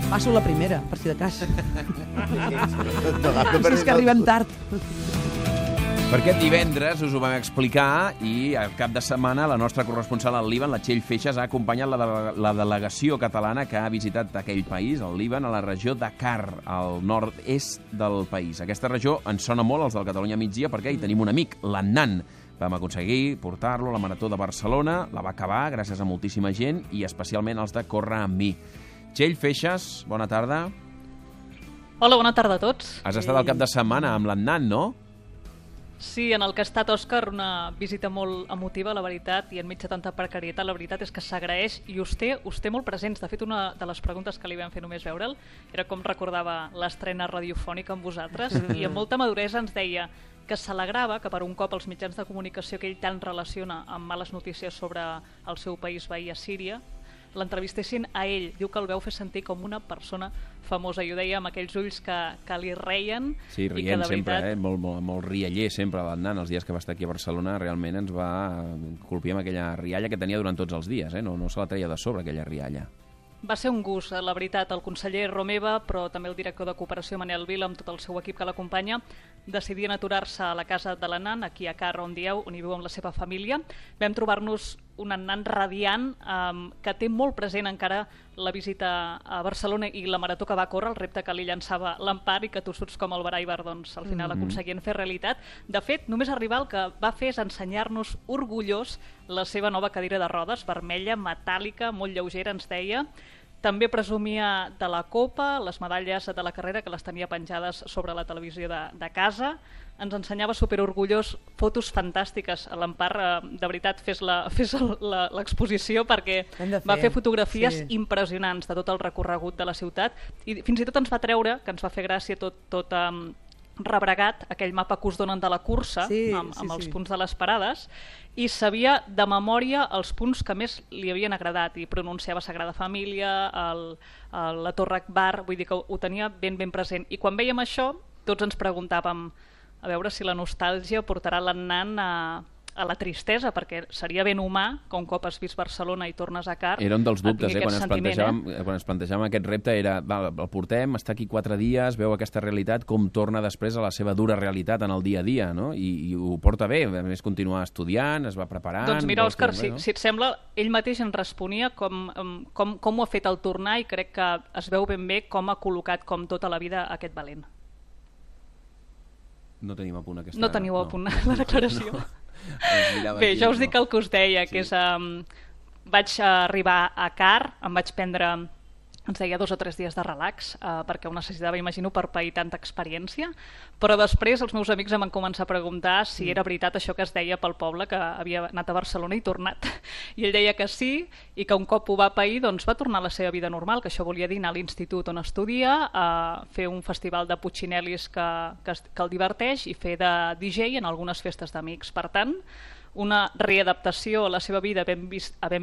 Passo la primera, per si de cas. Si és que arribem tard. Per aquest divendres us ho vam explicar i al cap de setmana la nostra corresponsal al Líban, la Txell Feixas, ha acompanyat la delegació catalana que ha visitat aquell país, el Líban, a la regió d'Akar, al nord-est del país. Aquesta regió ens sona molt als del Catalunya Migdia perquè hi tenim un amic, l'Annan. Vam aconseguir portar-lo a la Marató de Barcelona, la va acabar gràcies a moltíssima gent i especialment als de Corre amb mi. Txell Feixas, bona tarda. Hola, bona tarda a tots. Has estat al cap de setmana amb l'Annan, no? Sí, en el que ha estat, Òscar, una visita molt emotiva, la veritat, i enmig de tanta precarietat, la veritat és que s'agraeix i us té molt presents. De fet, una de les preguntes que li vam fer només veure'l era com recordava l'estrena radiofònica amb vosaltres, i amb molta maduresa ens deia que s'alegrava que per un cop els mitjans de comunicació que ell tant relaciona amb males notícies sobre el seu país veí a Síria l'entrevistessin a ell. Diu que el veu fer sentir com una persona famosa, i ho deia amb aquells ulls que li reien. Sí, rient sempre, molt rialler sempre l'Annan. Els dies que va estar aquí a Barcelona realment ens va colpir amb aquella rialla que tenia durant tots els dies, no se la treia de sobre, aquella rialla. Va ser un gust, la veritat. El conseller Romeva, però també el director de Cooperació, Manel Vila, amb tot el seu equip que l'acompanya, decidien aturar-se a la casa de l'Annan, aquí a Car, on dieu, on hi viu amb la seva família. Vam trobar-nos un Annan radiant que té molt present encara la visita a Barcelona i la marató que va córrer, el repte que li llançava l'Empar i que tossuts com el Baraibar doncs, al final aconseguien fer realitat. De fet, només arribar el que va fer és ensenyar-nos orgullós la seva nova cadira de rodes, vermella, metàl·lica, molt lleugera, ens deia. També presumia de la copa, les medalles de la carrera, que les tenia penjades sobre la televisió de casa. Ens ensenyava superorgullós fotos fantàstiques. A l'Empar, de veritat, fes l'exposició perquè va fer fotografies impressionants de tot el recorregut de la ciutat i fins i tot ens va treure, que ens va fer gràcia tot rebregat, aquell mapa que us donen de la cursa amb els punts de les parades, i sabia de memòria els punts que més li havien agradat i pronunciava Sagrada Família, la Torre Akbar, vull dir que ho tenia ben present. I quan vèiem això, tots ens preguntàvem a veure si la nostàlgia portarà l'Annan a la tristesa, perquè seria ben humà que un cop has vist Barcelona i tornes a Car... Era un dels dubtes, quan ens plantejàvem aquest repte, era, el portem, està aquí 4 dies, veu aquesta realitat, com torna després a la seva dura realitat en el dia a dia, no? I ho porta bé, a més continuar estudiant, es va preparant... Doncs mira, Òscar, si et sembla, ell mateix ens responia com ho ha fet al tornar, i crec que es veu ben bé com ha col·locat com tota la vida aquest valent. No tenim a punt aquesta... No teniu a punt la declaració. Bé, ja us dic el que us deia, que és... Vaig arribar a Car, em vaig prendre, ens deia, 2 o 3 dies de relax, perquè ho necessitava, imagino, per pair tanta experiència, però després els meus amics em van començar a preguntar si era veritat això que es deia pel poble, que havia anat a Barcelona i tornat. I ell deia que sí, i que un cop ho va pair, doncs va tornar a la seva vida normal, que això volia dir anar a l'institut on estudia, fer un festival de Puccinelis que el diverteix i fer de DJ en algunes festes d'amics. Per tant, una readaptació a la seva vida havent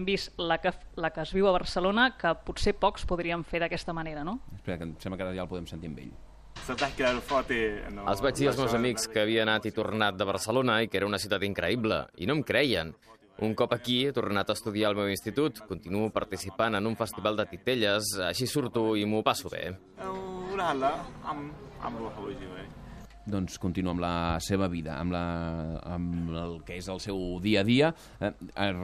vist la que es viu a Barcelona, que potser pocs podrien fer d'aquesta manera, no? Espera, que em sembla que ara ja el podem sentir amb ell. Els vaig dir als meus amics que havia anat i tornat de Barcelona i que era una ciutat increïble, i no em creien. Un cop aquí he tornat a estudiar al meu institut, continuo participant en un festival de titelles, així surto i m'ho passo bé. Doncs continua amb la seva vida, amb el que és el seu dia a dia.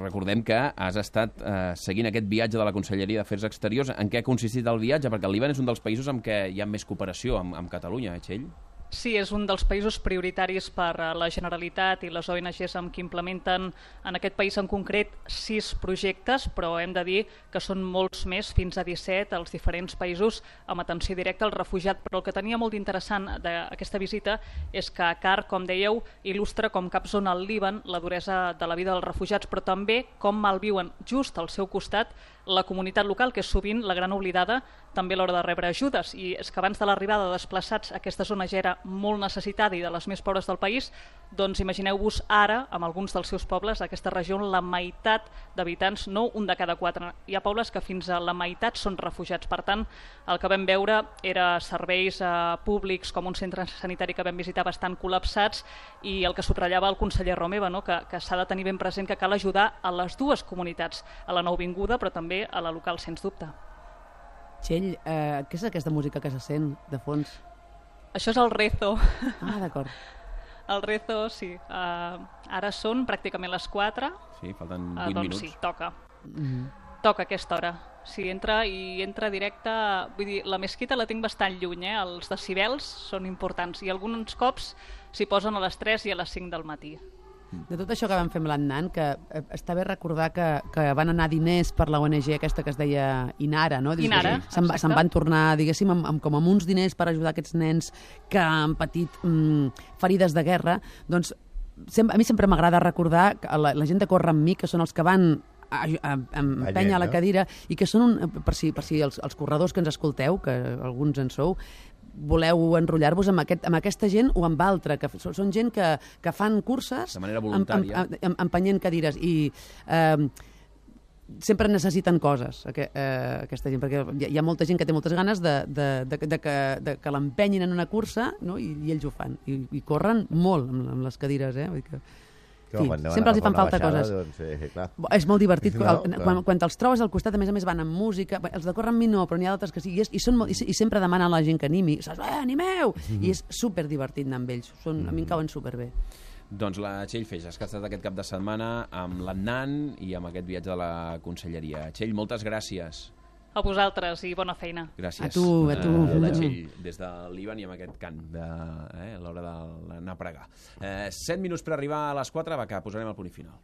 Recordem que has estat seguint aquest viatge de la Conselleria d'Afers Exteriors. En què ha consistit el viatge? Perquè el Líban és un dels països amb què hi ha més cooperació amb Catalunya, Txell? Sí, és un dels països prioritaris per la Generalitat i les ONGs amb qui implementen en aquest país en concret 6 projectes, però hem de dir que són molts més, fins a 17, als diferents països amb atenció directa al refugiat. Però el que tenia molt interessant d'aquesta visita és que Car, com dèieu, il·lustra com cap zona al Líban la duresa de la vida dels refugiats, però també com malviuen just al seu costat la comunitat local, que és sovint la gran oblidada també a l'hora de rebre ajudes. I és que abans de l'arribada de desplaçats aquesta zona ja era molt necessitada i de les més pobres del país, doncs imagineu-vos ara, amb alguns dels seus pobles, aquesta regió on la meitat d'habitants, no un de cada 4, hi ha pobles que fins a la meitat són refugiats. Per tant, el que vam veure era serveis públics com un centre sanitari que vam visitar bastant col·lapsats, i el que subratllava el conseller Romeva, no? que s'ha de tenir ben present que cal ajudar a les dues comunitats, a la nouvinguda però també a la local, sens dubte. Txell, què és aquesta música que se sent de fons? Això és el rezo. Ah, d'acord. El rezo, sí. Ara són pràcticament les 4. Sí, falten 20 doncs minuts. sí, toca. Toca a aquesta hora. Sí, entra directe... Vull dir, la mesquita la tinc bastant lluny, els decibels són importants i alguns cops s'hi posen a les 3 i a les 5 del matí. De tot això que vam fer amb l'Annan, que està bé recordar que van anar diners per la ONG aquesta que es deia Inara, no? Inara, se'n van tornar, diguéssim, com amb uns diners per ajudar aquests nens que han patit ferides de guerra. Doncs a mi sempre m'agrada recordar que la gent de Corre amb mi, que són els que van empènyer a la cadira, i que són, per si els corredors que ens escolteu, que alguns en sou, voleu enrotllar-vos amb aquesta gent o amb altra, que són gent que fan curses de manera voluntària, empenyent cadires, i sempre necessiten coses, aquesta gent, perquè hi ha molta gent que té moltes ganes de que l'empenyin en una cursa, no? I ells ho fan, i corren molt amb les cadires, vull dir que... Sí, sempre els hi fan falta coses. Doncs, és molt divertit. Quan te'ls trobes al costat, a més van amb música. Els de Corre amb mi no, però n'hi ha d'altres que sí. I sempre demanen a la gent que animi. Saps? Animeu! I és superdivertit anar amb ells. A mi em cauen superbé. Doncs la Txell Feixas, que ha estat aquest cap de setmana amb l'Annan i amb aquest viatge de la Conselleria. Txell, moltes gràcies. A vosaltres i bona feina. Gràcies. A tu. La Txell, des de l'Ivan i amb aquest cant a l'hora d'anar a pregar. 7 minuts per arribar a les 4, va, que posarem el punt final.